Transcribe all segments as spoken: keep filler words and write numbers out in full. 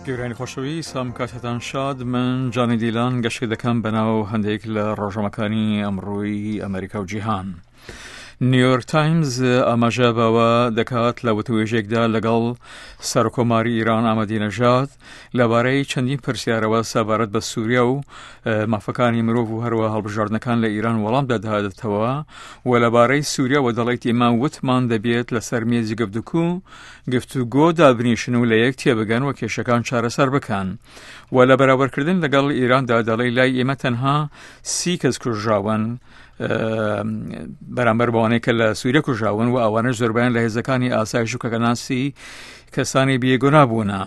گەورانی خۆشەویست، ئەم کاتتان شاد. من جانی دیلان گەشت دەکەم بەناو هەندێک لە ڕۆژنامەکانی ئەمڕۆی ئەمریکا و جیهان. نیویۆرک تایمز ئاماژە بەوە دەکات لە وتوێژێکدا لەگەڵ سەرکۆماری ئیران ئەحمەدی نەژاد لەبارەی چەندین پرسیارەوە سەبارەت بە سووریا و مافەکانی مرۆڤ و هەروە هەڵبژاردنەکان لە ئیران وەڵام دەداتەوە و لەبارەی سووریاوە دەڵێت ئێمە وتمان دەبێت لەسەر مێزی گفتوگۆ گفتوگۆ دابنیشن و لە یەک تێبگەن و کێشەکان چارەسەر بکەن و لە بەراوردکردن لەگەڵ ئیراندا دەڵێ لای ئێمە تەنها سی کەس کوژراون بەرامبەر بەوانەی کە لە سووریا کوژاون و ئەوانەش زۆربیان لە هێزەکانی ئاسایش و کەکەناسی کەسانی بێگونا بوونە.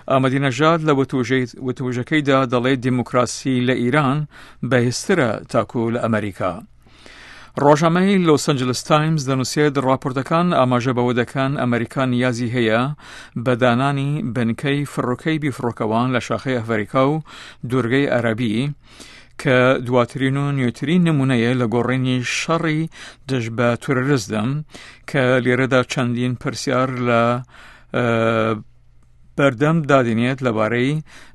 ئەحمەدی نەژاد لە وتوژەکەیدا دەڵێت دیموکراسی لە ئیران بەهێزترە تاکو لە ئەمریکا. ڕۆژنامەی لۆس ئەنجلس تایمز دەنووسێت راپۆرتەکان ئاماژە بەوە دەکەن ئەمریکا نیازی هەیە بە دانانی بنکەی فڕۆکەی بیفڕۆکەوان لە شاخەی ئەفریکا و دوورگەی عەرەبی کە دواترین و نوێترین نمونەیە لە گۆڕینی شەڕی دژ بە تیرۆریزم کە لێرەدا چەندین پرسیار لە بەردەم دادێنێت لەبارەی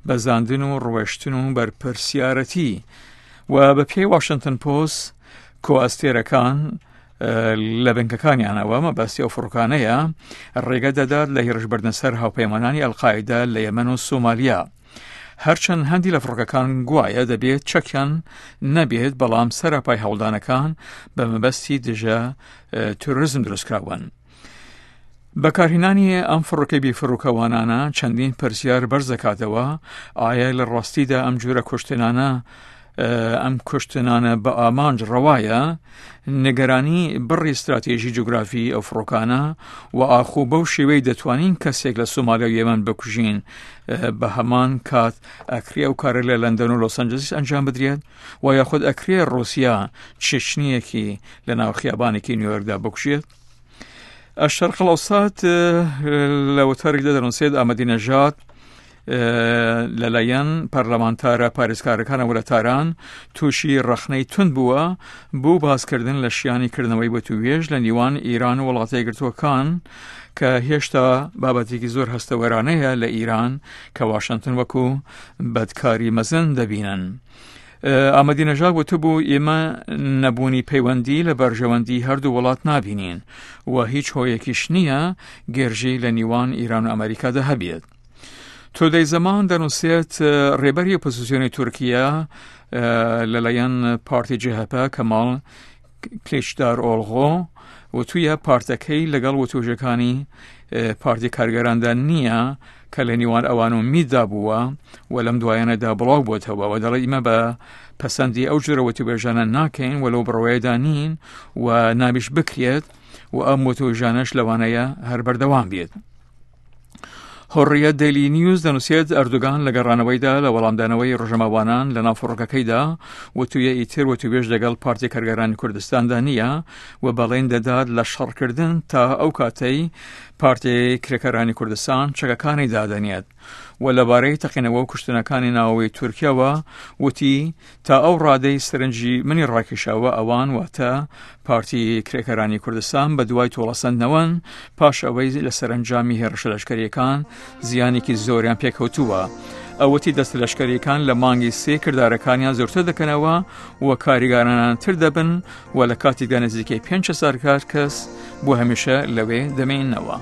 بەزاندن و ڕوێشتن و بەرپرسیارەتی و بە پێی واشنگتن پۆست کۆئەستێرەکان لە بنکەکانیانەوە مەبەستی ئەو فڕۆکانەیە ڕێگە دەدات لە هێرشبردنە سەر هاوپەیمانانی ئەلقاعیدە لە یەمەن و سۆمالیا. هەرچەند هەندی لە فڕۆکەکان گوایە دەبێت چەکیان نەبێت، بەڵام سەراپای هەوڵدانەکان بە مەبەستی دژە تیرۆریزم دروستکراون. بەکارهێنانی ئەم فڕۆکەی بێفڕۆکەوانانە چەندین پرسیار بەرز دەکاتەوە. ئایا لە ڕاستیدا ئەم جۆرە کوشتنانە ئەم کوشتنانە بە ئامانج ڕەوایە؟ نیگەرانی بڕی استراتێژی جوگرافی ئەو فڕۆکانە و ئاخۆ بەو شێوەی دەتوانین کەسێک لە سۆمالیا و یەمەن بکوژین بە هەمان کات ئەکرێ ئەو کارە لە لەندەن و لۆس ئەنجلس ئەنجام بدرێت و یاخود ئەکرێ ڕوسیا چێچنیەکی لە ناو خیابانێکی نیویۆرکدا بکوژێت؟ الشرق الأوسط لە وتارێکدا دەنووسێت ئەحمەدی نەژاد لەلایەن پەرلەمانتارە پارێزکارەکانەوە لە تاران تووشی ڕەخنەی تند بووە بۆ باسکردن لە شیانی کردنەوەی وتوێژ لە نێوان ئیران و وڵاتە یەکگرتووەکان کە هێشتا بابەتێکی زۆر هەستەوەرانەیە لە ئیران کە واشنگتن وەکو بەدکاری مەزن دەبینن. ئەحمەدی نەژاد وتبوو ئێمە نەبوونی پەیوەندی لە بەرژەوەندی هەردوو وڵات نابینین و هیچ هۆیەکیش نییە گێرژی لە نێوان ئیران و ئەمریکادا هەبێت. تودەی زەمان دەنووسێت ڕێبەری ئۆپۆزیسیۆنی تورکیا لەلایەن پارتی جەهەپە کەماڵ کلیچدار ئۆڵغۆ وتویە پارتەکەی لەگەڵ وتوژەکانی پارتی کارگەراندا نییە کە لە نێوان ئەوان و میددا بووە و لەم دوایانەدا بڵاو بۆتەوە و دەڵێ ئیمە بە پەسەندی ئەو جۆرە وتوێژانە ناکەین و لەو بڕوایەدا نین و نابیش بکرێت و ئەم وتوێژانەش لەوانەیە هەر بەردەوام بێت. حڕیەت دەیلی نیوز دەنووسێت ئەردوگان لە گەڕانەوەیدا لە وەڵامدانەوەی ڕۆژنامەوانان لە ناو فڕۆکەکەیدا وتویە ئیتر وتوێژ لەگەڵ پارتی کارگەرانی کوردستاندا نییە و بەڵێن دەدات لە شەڕکردن تا ئەو کاتەی پارتی کرێکارانی کوردستان چەکەکانی دادەنێت و لەبارەی تەقینەوە و کوشتنەکانی ناوەوەی تورکیاوە وتی تا ئەو ڕادەی سەرنجی منی ڕاکێشاوە ئەوان واتە پارتی کرێکارانی کوردستان بە دوای تۆڵەسەندنەوەن پاش ئەوەی لە سەرەنجامی هێرشە لەشکەریەکان زیانێکی زۆریان پێکەوتووە. ئەوەتی دەستە لەشکەریەکان لە مانگی سێ کردارەکانیان زۆرتر دەکەنەوە و کاریگەرانتر دەبن و لە کاتێکدا نزیکەی پێنج هەزار کەس بۆ هەمیشە لەوێ دەمێنەوە.